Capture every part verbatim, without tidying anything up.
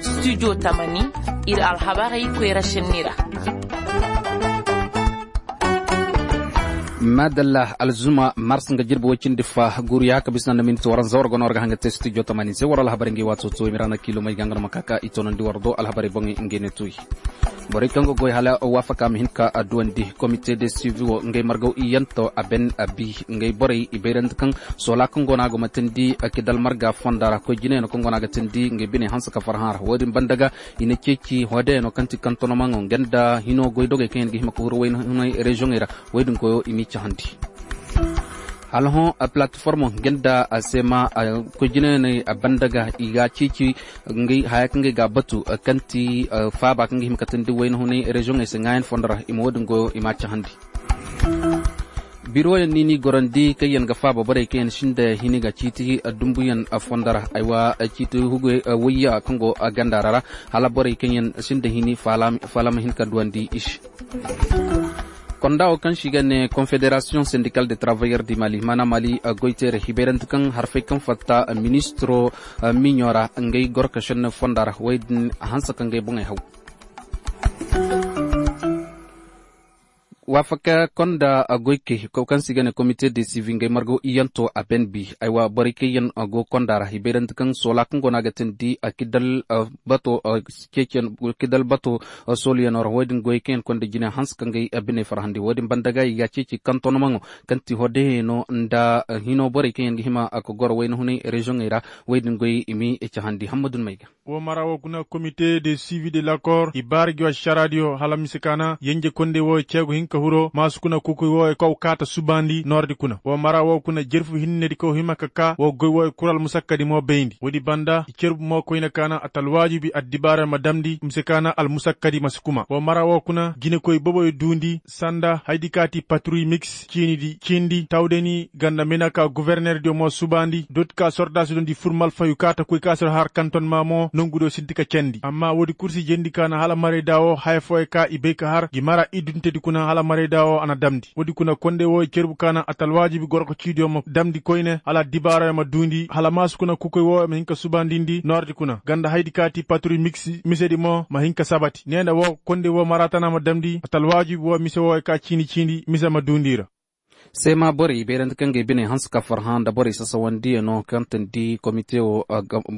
Studio tamani, ir alhabarey koyra senni ra. Maadalla, alzuma mars nga jirbi woy cindi fa guru ya ka bisa nda miniti waranza war go no war ga hanga te studio tamani se war alhabarey ngi waato to i ma ra na kiilomey ga nga no ma ka ka i toonandi war do alhabarey boŋey ngey ne tuuyi. Borey kaŋ ga goy hala waafaka ma hin ka adduwandi komite de suivi wo ngey margaw iyanto a ben a bi ngey borey i bayrandi kaŋ soola kaŋ go no a go matandi kidal marga fonda ra koy jinayano kaŋ go no a ga tandi ngey biney hanse ka farhã ra wo- din banda ga i na ceeci hoodeyano kaŋ ti kantonomaŋo nga nda hino goydogey kaŋ yaŋ ga hima ka huru wayna hunay reziyoŋey ra. Wo- din koyo i m'i cahandi. Hala hõ, a palatiformo nga nda a seema koy jinayaney a banda ga i ga a ceeci ngey haya kaŋ ga i ga a batu kaŋ ti faaba kaŋ ga hima ka tandi wayna hunay reziyoŋey se ŋaayan fondo ra i ma wo- din goyo i m'a cahandi. Biroyaŋ niini gorandi kaŋ yaŋ ga faaba borey kaŋ yaŋ sinda hini ga ciiti dumbuyaŋ fondo ra aywa ciiti hugu wayya kaŋ go ganda ra ra hala borey kaŋ yaŋ sinda hini faala ma hin ka duwandi i se. Konda wo kaŋ se i ga ne konfederasiyoŋ sendikal de travayeur di mali maana mali goyteere hibayrante kaŋ harfey kaŋ fatta ministiro miɲo ra ngey goro ka senne fonda ra wo- din hanse ka ngey boŋey haw. Waafaka konda goykey kaŋ se i ga ne komite de sivi ngey margo iyanto a ben bi aywa borey kaŋ yaŋ go konda ra hibayrante kaŋ soola kaŋ go no a ga tindi kidal bato ceeciyaŋ kidal bato sooluyaŋo ra wo- din goyey kaŋ yaŋ konda jine hanse ka ngey biney farhandi wo- din banda ga i ga a ceeci kantonomaŋo kaŋ ti hodeheno nda hino borey kaŋ yaŋ ga hima ka goro wayna hunay reziyoŋey ra. Wo- din goyey i m'i cahandi hammadun may ga. Wo mara wo kuna komite de sivi de lakor i baara gi wa saraadiyo hala mise kaana yenje kondey wo ceegu hinka huro maasu kuna kukuy wo kaw kaata subaandi noordi kuna wo mara wo kuna jerfu hinnedi kaw hima ka kaa wo goy wo kuru almusakkadi mo bayndi woodi banda i cerbu mo koyne kaana atalwaajibi addibaara ma damndi mise kaana almusakkadi ma si kuma wo mara wo kuna jinekoy boboyo duundi sanda haydi kaati patruy miks ciinidi ciindi tawdani ganda mena ka guverner diyo mo subaandi dooti ka sordaasi dondi fur malfayu kaata koy ka si har kanton ma mo nongu diyo sinti ka cendi amma woodi kursi jendi ka na hala marayda wo haya fooyo ka i bay ka har gi mara iduntedi kuna hala marayda wo a na damndi woodi kuna kondey wo i cerbu ka na atalwaajibi goroko ciidiyo ma damndi koyne hala dibaarayo ma duundi hala maasu kuna kukoy wo ma hin ka subaandindi noordi kuna ganda haydi ka ti patruy miks misedi mo ma hin ka sabati nee nda wo kondey wo mara tana ma damndi atalwaajibi wo mise wooyo ka ciini ciindi mise ma duundi i ra. Seema borey beerandi kaŋ ga ay bine hanse ka farhã nda borey sasawandiyaŋo kaŋ tandi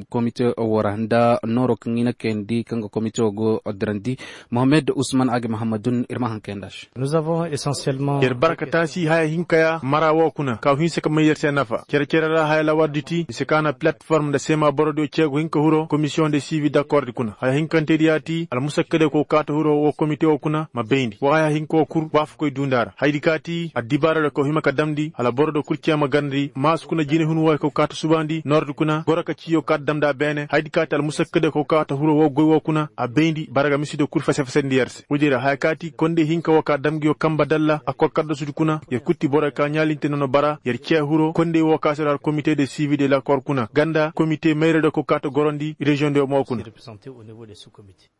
komite wo ra nda nooro kaŋ i na kayandi kaŋ ga komite wo go dirandi. Mohammed usman agi mahamadun ir ma haŋ kayandi a se. Ir bara ka taasi haya hinka ya mara wo kuna ka hinse ka may yer se nafa cere-cere ra haya lawardi ti i si ka na platform nda seema borodiyo ceegu hinka huro komisiyoŋ de sivi dakkordi kuna haya hinkantedi ya ti almusakkadey ko kaata huro wo komite wo kuna ma bayndi wo haya hinka wo kul waafakoy duundi a ra hayadi ka ti addibaaradiyo ko hima ka damndi hala borodiyo kul cee ma garndi maasu kuna jinehun wooyo ko kaata subaandi noordi kuna goro ka ciiyo kaata damndi a beene hayadi ka ti almusakkadey ko kaata huro wo goy wo kuna a bayndi bara ga misidiyo kul fese-fesandi yer se woodi ra haya ka ti kondey hinka wo ka dam nguyo kamba dalla a kor kaddasudi kuna yer kul ti borey ka ɲaalinte nono bara yer cee huro kondey wo ka si ra har komite de sivi de lakor kuna ganda komite mayradiyo ko kaata gorondi reziyoŋdiyo mo kuna.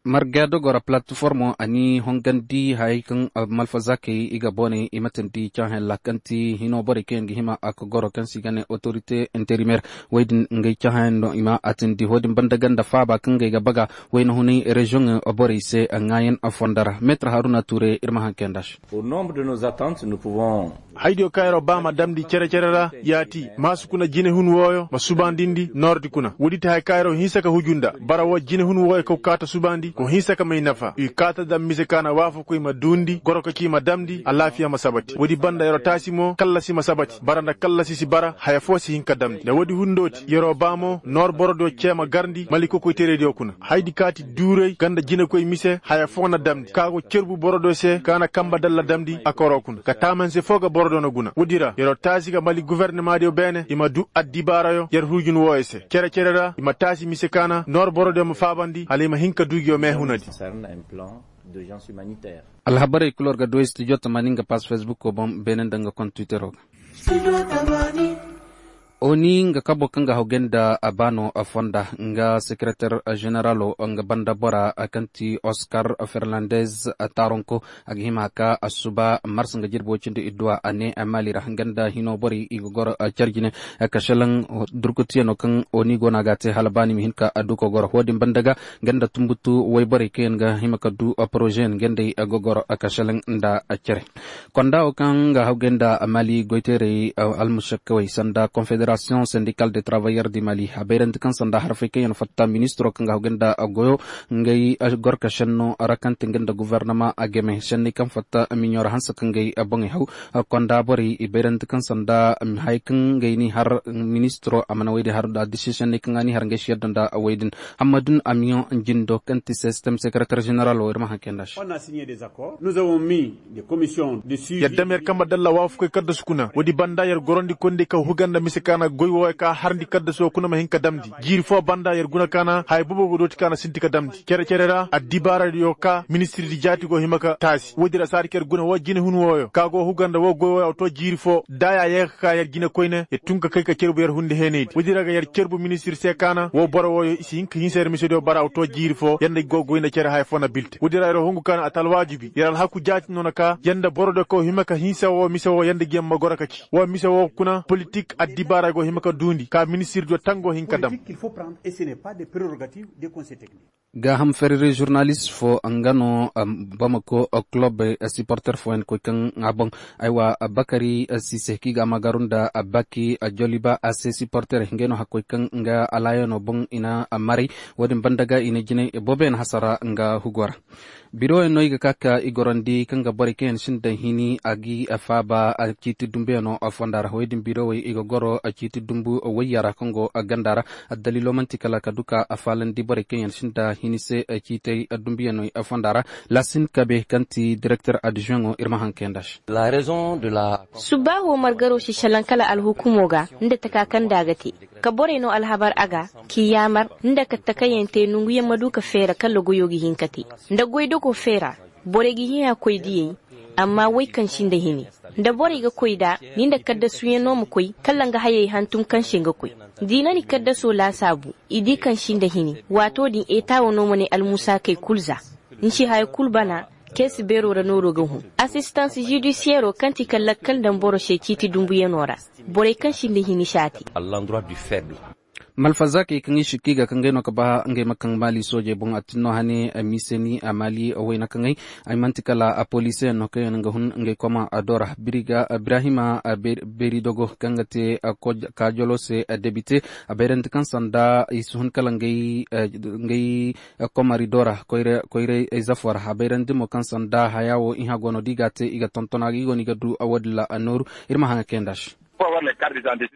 Marga dogora platformo a ni hongandi hayey kaŋ malfazakey i ga booney i ma tandi caahayan ra kaŋ ti hino borey kaŋ yaŋ ga hima a ga goro kaŋ se i ga ne otorite interimer woy din ngey caahayan no i ma a tandi wo-din banda ganda faaba kaŋ ga ay ga baga wayna hunay reziyoŋ borey se ŋaayan fondo ra meetir haruna tuure ir ma haŋ kayandi a se. Haydiyo kaŋ yer'o ba ma damndi cere-cere ra ya ti maasu kuna jinehun wooyo ma subaandindi noordi kuna woodi ti haya kaŋ yer'o hinsa ka huju nda bara woo jinehun wooyo kaw kaata subaandi ko hinsa ka may nafa i kaata dam mise ka na waafaku i ma duundi goro ka ci i ma damndi alaafiya ma sabati woodi banda yer'o taasi mo kallasi ma sabati bara nda kallasi si bara haya foo si hin ka damndi nda woodi hundooti yer'o ba mo noor borodiyo cee ma garndi malikokoyteeraydiyo kuna hayadi ka ti duuray ganda jinekoy mise haya foo na damndi ka go cerbu borodiyo se ka na kamba dalla damndi a koroo kuna ka taamanse foo ga borodiyo na guna woodi ra yer'o taasi ga mali guvernemadiyo beene i ma duu addibaarayo yer hurjun wooyo se cere-cere ra i ma taasi mise ka na noor borodiyo ma faabandi hala i ma hin ka duu nguyo meehunadi. Alhabarey kul war ga duu studio tamaani nga pass facebook boŋ beene nda nga kont twittero ga. Oni nga kabo kaŋ ga hawgay nda a baano fonda nga sekereter, generalo nga banda bora kaŋ ti oskar fernandez taronko. A ga hima ka asuba mars nga jirbi way cindi idduwa a ne mali ra nga nda hino borey i ga goro carjine. Ka selaŋ durkutiyano kaŋ oni go no a ga a te hala baani ma hin ka a du ka goro wo- din banda ga nga nda tumbutu wayborey kaŋ yaŋ ga hima ka du porozeyaŋ nga nda ay ga goro ka selaŋ nda cere. Konda wo kaŋ ga hawgay nda mali goyteerey almusakkawey sanda konfederasiyoŋ sendikal de travayyer di mali a bayrandi kaŋ sanda harfey kaŋ yaŋ fatta ministiro kaŋ ga hawgay nda goyo. Ngey gorka senno ra kaŋ ti nga nda gofornama a game senney kaŋ fatta miɲo ra hanse kaŋ ngey boŋey haw. Konda borey i bayrandi kaŋ sanda haya kaŋ ngey n'i har ministiro a mana wey din har da disi senney kaŋ a n'i har ngey si yadda nda wey din. Hammadun amiyoŋ jindo kaŋ ti sistem sekereter general wo ir ma haŋ kay nda se. Yar dam yar kamba dalla waafakoy kaddasu kuna woodi banda yar gorandi koy nda i ka huga nda mise ka na goy wooyo ka harndi kaddasu kuna ma hin ka damndi jiiri fo banda yar guna ka na haya boobo go dooti ka na sinti ka damndi cere-cere ra addibaaradiyo ka ministirdi jaati go hima ka taasi woodi ra saadi ka yar guna woo jinehun wooyo ka go huga nda woo goy wooyo a to jiiri fo da ya yee ka ka yar jine koyne yar tun ka kay ka cerbu yar hundi heenaydi woodi ra ga yar cerbu ministir se ka na woo boro wooyo i si hin ka hinsa yar misediyo bara a to jiiri fo yar nda go goy nda cere haya fo na bilte woodi ra yar hungu ka na a ta alwaajibi yar alhaku jaati no na ka yar nda borodiyo kaŋ hima ka hinsa woo mise woo yar nda gi yaŋ ma goro ka ci woo mise woo kuna politik addibaara go hima ka duundi ka ministirdiyo tango hin ka dam. Gaaham ferere žurnalist fo nga no bamako kulub siporter fooyaŋ koy kaŋ a boŋ. Aywa bakari sise kaŋ i ga a maagaru nda baki joliba a se siporter ngey no hakkoy kaŋ nga alaayano boŋ i na maray. Wo-din banda ga i na jinay booboyaŋ hasara nga hugo ra. Biroyaŋ no i ga ka ka i gorandi kaŋ ga borey kaŋ yaŋ sinda hini a ga i faaba ciiti dumbuyano fonda ra wey din birowey i ga goro ciiti dumbu wayya ra kaŋ go ganda ra. Addaliilo man'ti kala ka du ka a faalandi borey kaŋ yaŋ sinda hini se ciitey dumbuyaney fonda ra. Laasin kabe kaŋ ti direkter adzuweŋo ir ma haŋ kay nda se. Subbaaho margaro si šelaŋ kala alhukumo ga nda taka kaŋ nda a ga te ka borey no alhabar a ga k'i yaamar nda ka takayyaŋ te nonguyaŋ ma du ka feera kala goyo ga hin ka te nda goydogo feera. Borey ga hin a koy diyey amma wey kaŋ sinda hini nda borey ga koy nda ni nda kaddasuyaŋ no ma koy kala nga hayey hantum kaŋ se nga koy. Da i na ni kaddaso laasaabu i di kaŋ sinda hini waato din eta wo no ma ne almusaakey kul za. Ni si haya kul bana keesi beero ra nooro ga hun. Asistans žudisiyero kaŋ ti ka lakkal daŋ boro se ciiti dumbuyano ra borey kaŋ sinda hini si a te. Malfazaakey kaŋ i sikka i ga ka ngey no ka ba ngey ma kaŋ maali soojey boŋ a tin no hane. Miseni a maali wayna kaŋey ay man'ti kala a poliisiyaŋ no kaŋ yaŋ ga hun ngey koma a do ra biriga birahima. Beeridogo kaŋ ga te kaajolo se debite a bayrandi kaŋ sanda i si hun kala ngey komari do ra. Koyray zafo ra a bayrandi mo kaŋ sanda haya wo iha go no da i ga a te i ga tonton a ga i go no i ga du woodin ra a nooru. Ir ma haŋa kay nda se.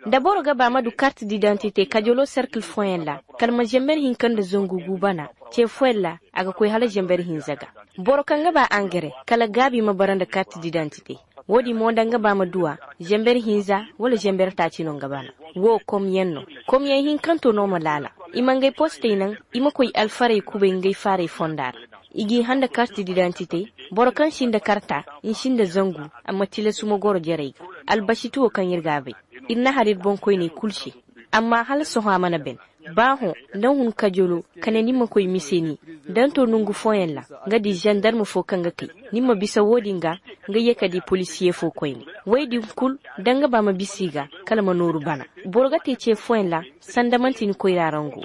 Da boro ga ba ma du kart didantite kajolo serkil fooyaŋ ra kala ma zember hinka nda zangu gu bana ce fooyaŋ ra a ga koy hala zember hinza ga. Boro kaŋ ga ba angare kala gaabi ma bara nda kart didantite. Wo-din mo nda nga ba ma du a zember hinza wala zember taaci no nga bana. Wo komyaŋ no. Komyaŋ hinkanto no ma laala i ma ngey postey naŋ i ma koy alfarey kubay ngey faarey fonda ra. I g'i hã nda kart didantite. Boro kaŋ si nda karta ni si nda zangu. Amma tilasu ma goro jarey ga albasiti wo kaŋ ir ga a bay. Ir na har ir boŋkoyney kul se. Amma hala sohõ a mana ben. Baa hõ nda hun kajolo kala ni ma koy mise ni. Danto nongu fooyaŋ ra nga di zandarm fo kaŋ ga kay ni ma bisa wo-din ga. Nga ye ka di polisiye fo koyne. Wey din kul da nga ba ma bisa i ga kala ma nooru bana. Boro ga te ce fooyaŋ ra sanda man'ti ni koyra rango.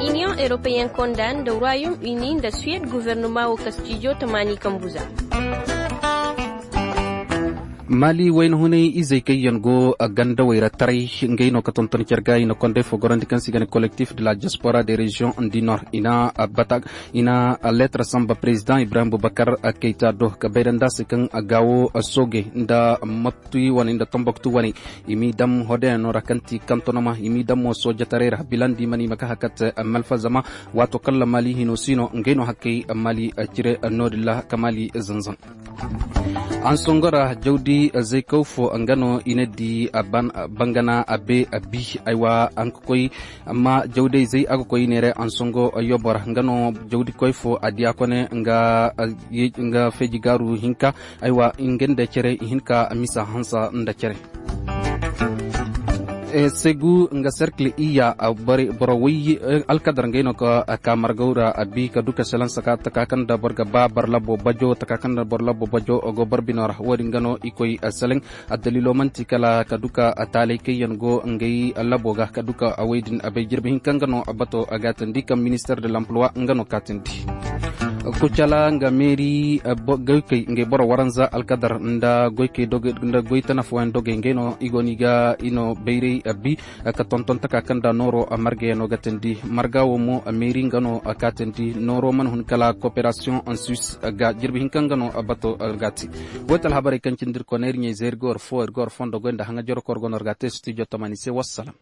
Iniyoŋ europeyen konda nda royaume uni nda suwed guvernoma wo kastijo tamaani kambu za. Maali wayna hunay izey kaŋ yaŋ go gandawey ra taray. Ngey no ka tonton care ga i na konday fo gorandi kaŋ se i ga ne kolektif de la diaspora de rezion du nord i na leetar samba prezidaŋ ibrahim bubakar kayta do ka bayra nda a se kaŋ gaawo soogey nda matti wane nda tambaktu wane. I m'i daŋ hodeyaŋo ra kaŋ ti kantonoma i m'i daŋ mo soojetaray ra bilandi mana i ma ka hakat malfa zama waato kaŋ ra maali hino si no ngey no hakkey maali cire no- din ra ka maali zanzan. Ansongo ra jawdi zaykaw fo nga no i na di bangana a be a bi. Aywa a ga koy amma jawday zay a ga koy i neeray ansongo yobo ra nga no jawdikoy fo a diya kone nga feeji gaaru hinka. Aywa nga nda cere i hin ka misa hansa nda cere. Segu nga serkil iya boro way alkadar ngey no ka margaw ra a bi ka du ka selansa ka taka kaŋ nda boro ga ba boro labo bajo taka kaŋ nda boro labo bajo go boro bino ra wo- din ga no i koy seleŋ. Addaliilo man'ti kala ka du ka taalay kaŋ yaŋ go ngey labo ga ka du ka way din a bay jirbi hinka nga no bato a gaatandi kaŋ minister de lamplowa nga no kaatandi. Kucala nga meeri goykey ngey boro waranza alkadar nda goykey nda goy tana fooyaŋ dogey ngey no i go no i ga i no bayray a bi ka tonton taka kaŋ nda nooro margayano ga tandi marga wo mo meeri nga no kaatandi nooro mana hun kala kooperasiyoŋ en suisse ga jirbi hinka nga no bato gaati. Woy ta alhabarey kaŋ cindi ir kone ir ɲey zay ir ga war fo ir ga war fondo goy nda haŋa joro kor go no ir ga a te studio tamani se wassalam.